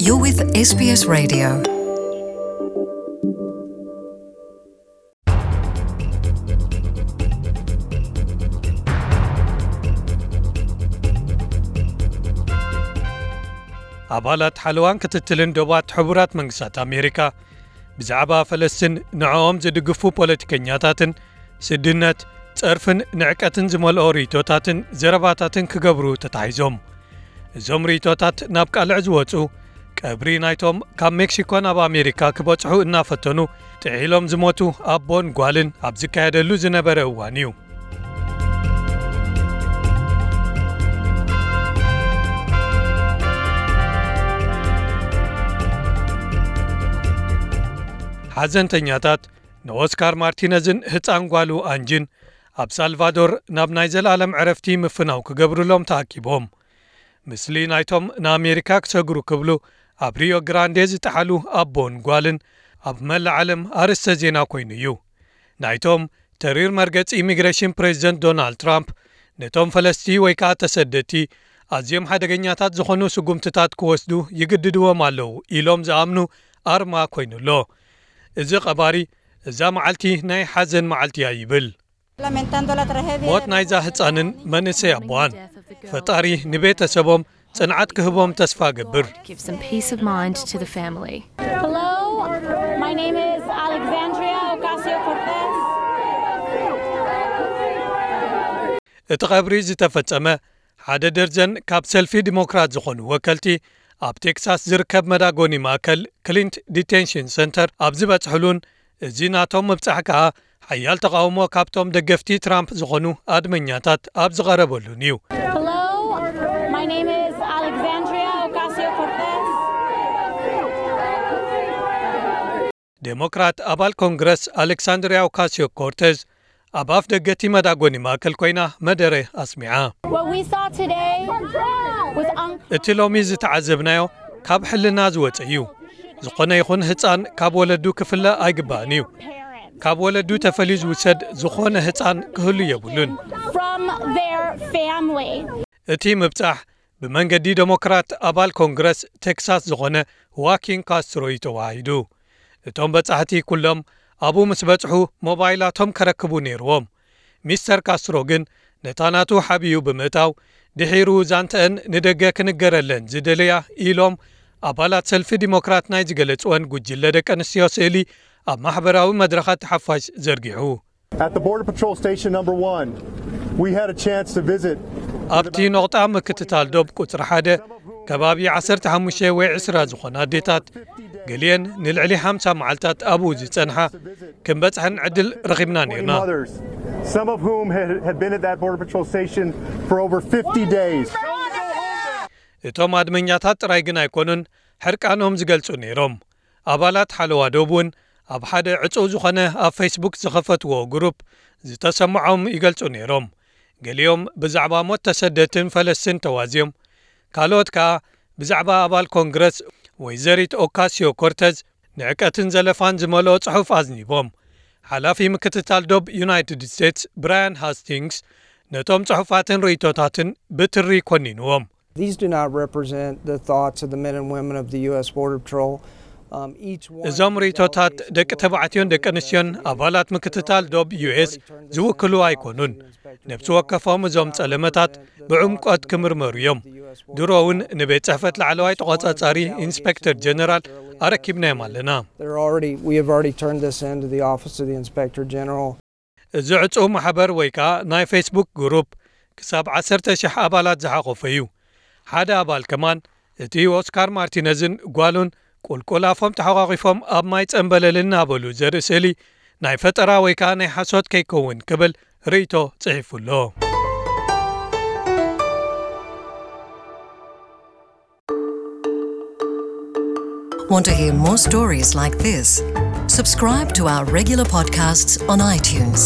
You're with S B S Radio. ኣባላት ሓለዋን ክትትልን ዶባት ሕቡራት መንግስታት ኣሜሪካ ብዛዕባ ፈለስትን ንዕኦም ዝድግፉ ፖለቲከኛታትን ስድነት፣ ጸርፍን ንዕቀትን ዝመልኦ ርእይቶታትን ዘረባታትን ክገብሩ ተታሒዞም። እዞም ርእይቶታት ናብ ቃልዕ ዝወጹ፣ ቀብሪ ናይቶም ካብ ሜክሲኮ ናብ ኣሜሪካ ክበጽሑ እናፈተኑ ጥሒሎም ዝሞቱ ኣቦን ጓልን ኣብ ዝካየደሉ ዝነበረ እዋን እዩ። ሓዘንተኛታት ንኦስካር ማርቲነዝን ህጻን ጓሉ ኣንጂን ኣብ ሳልቫዶር ናብ ናይ ዘላለም ዕረፍቲ ምፍናው ክገብሩሎም ተኣኪቦም። ምስሊ ናይቶም ንኣሜሪካ ክሰግሩ ክብሉ ኣብ ሪዮ ግራንዴ ዝጠሓሉ ኣቦን ጓልን ኣብ መላእ ዓለም ኣርእስተ ዜና ኮይኑ እዩ። ናይቶም ተሪር መርገጺ ኢሚግሬሽን ፕሬዚደንት ዶናልድ ትራምፕ ነቶም ፈለስቲ ወይ ከኣ ተሰደድቲ ኣዝዮም ሓደገኛታት ዝኾኑ ስጉምትታት ክወስዱ ይግድድዎም ኣለዉ ኢሎም ዝኣምኑ ኣርማ ኮይኑ ኣሎ። እዚ ቀባሪ እዛ መዓልቲ ናይ ሓዘን መዓልቲ እያ ይብል። ሞት ናይዛ ህጻንን መንእሰይ ኣቦዋን ፈጣሪ ንቤተሰቦም ጽንዓት ክህቦም ተስፋ እገብር። Give some peace of mind to the family. Hello, my name is Alexandria Ocasio Cortez. እቲ ቀብሪ ዝተፈጸመ ሓደ ደርዘን ካብ ሰልፊ ዲሞክራት ዝኾኑ ወከልቲ ኣብ ቴክሳስ ዝርከብ መዳጎኒ ማእከል ክሊንት ዲቴንሽን ሰንተር ኣብ ዝበጽሕሉን እዚ ናቶም ምብጻሕ ከኣ ሓያል ተቓውሞ ካብቶም ደገፍቲ ትራምፕ ዝኾኑ ኣድመኛታት ኣብ ዝቐረበሉን እዩ። Hello, my name is Alexandria Ocasio Cortez. ዴሞክራት ኣባል ኮንግረስ ኣሌክሳንድሪያ ኦካሲዮ ኮርቴዝ ኣብ ኣፍ ደገቲ መዳጎኒ ማእከል ኮይና መደረ ኣስሚዓ። What we saw today was un- እቲ ሎሚ ዝተዓዘብናዮ ካብ ሕልና ዝወጸ እዩ። ዝኾነ ይኹን ህጻን ካብ ወለዱ ክፍለ ኣይግባእን እዩ። ካብ ወለዱ ተፈልዩ ዝውሰድ ዝኾነ ህጻን ክህሉ የብሉን። From their family. እቲ ምብጻሕ ብመንገዲ ዴሞክራት ኣባል ኮንግረስ ቴክሳስ ዝኾነ ዋኪን ካስትሮ እዩ ተዋሂዱ። እቶም በጻሕቲ ኩሎም ኣብኡ ምስ በጽሑ ሞባይላቶም ከረክቡ ነይርዎም። ሚስተር ካስትሮ ግን ነታ ናቱ ሓቢኡ ብምእታው ድሒሩ ዛንተአን ንደገ ክንገረለን ዝደለያ ኢሎም ኣባላት ሰልፊ ዲሞክራት ናይ ዝገለጽወን ጉጅለ ደቂ ኣንስትዮ ስእሊ ኣብ ማሕበራዊ መድረኻት ሓፋሽ ዘርጊሑ። At the Border Patrol Station Number One, we had a chance to visit. ኣብቲ ነቑጣ ምክትታል ዶብ ቁጽሪ ሓደ ከባቢ ዓሰርተ ሓሙሽተ ወይ ዕስራ ዝኾና ኣዴታት ገሊአን ንልዕሊ ሓምሳ መዓልታት ኣብኡ ዝጸንሓ ክንበጽሐን ዕድል ረኺብና ነይርና። Mothers, some of whom had, had been at that Border Patrol Station for over fifty days. እቶም ኣድመኛታት ጥራይ ግን ኣይኮኑን ሕርቃኖም ዝገልጹ ነይሮም። ኣባላት ሓለዋ ዶብ እውን ኣብ ሓደ ዕጹው ዝኾነ ኣብ ፌስቡክ ዝኸፈትዎ ግሩፕ ዝተሰምዖም ይገልጹ ነይሮም። ገሊኦም ብዛዕባ ሞት ተሰደድትን ፈለስትን ተዋዝዮም። ካልኦት ከኣ ብዛዕባ ኣባል ኮንግረስ ወይዘሪት ኦካሲዮ ኮርተዝ ንዕቀትን ዘለፋን ዝመልኦ ጽሑፍ ኣዝኒቦም። ሓላፊ ምክትታል ዶብ ዩናይትድ ስቴትስ ብራያን ሃስቲንግስ ነቶም ጽሑፋትን ርእይቶታትን ብትሪ ኮኒንዎም። These do not represent the thoughts of the men and women of the U S Border Patrol. Um, each one እዞም ርእይቶታት ደቂ ተባዕትዮን ደቂ ኣንስትዮን ኣባላት ምክትታል ዶብ ዩ ኤስ ዝውክሉ ኣይኮኑን። ነብሲ ወከፎም እዞም ጸለመታት ብዕምቆት ክምርመሩ እዮም። ድሮ እውን ንቤት ጽሕፈት ላዕለዋይ ተቖጻጻሪ ኢንስፔክተር ጀነራል ኣረኪብናዮም ኣለና። They're already, we have already turned this in to the Office of the Inspector General. እዚ ዕጹው ማሕበር ወይ ከኣ ናይ ፌስቡክ ግሩፕ ክሳብ ዓሰርተ ሽሕ ኣባላት ዝሓቖፈ እዩ። ሓደ ኣባል ከማን እቲ ኦስካር ማርቲነዝን ጓሉን ቁልቁል ኣፎም ተሓቋቒፎም ኣብ ማይ ጸንበለል እናበሉ ዘርኢ ስእሊ ናይ ፈጠራ ወይ ከኣ ናይ ሓሶት ከይከውን ክብል ርእይቶ ጽሒፉ ኣሎ። Want to hear more stories like this? Subscribe to our regular podcasts on iTunes.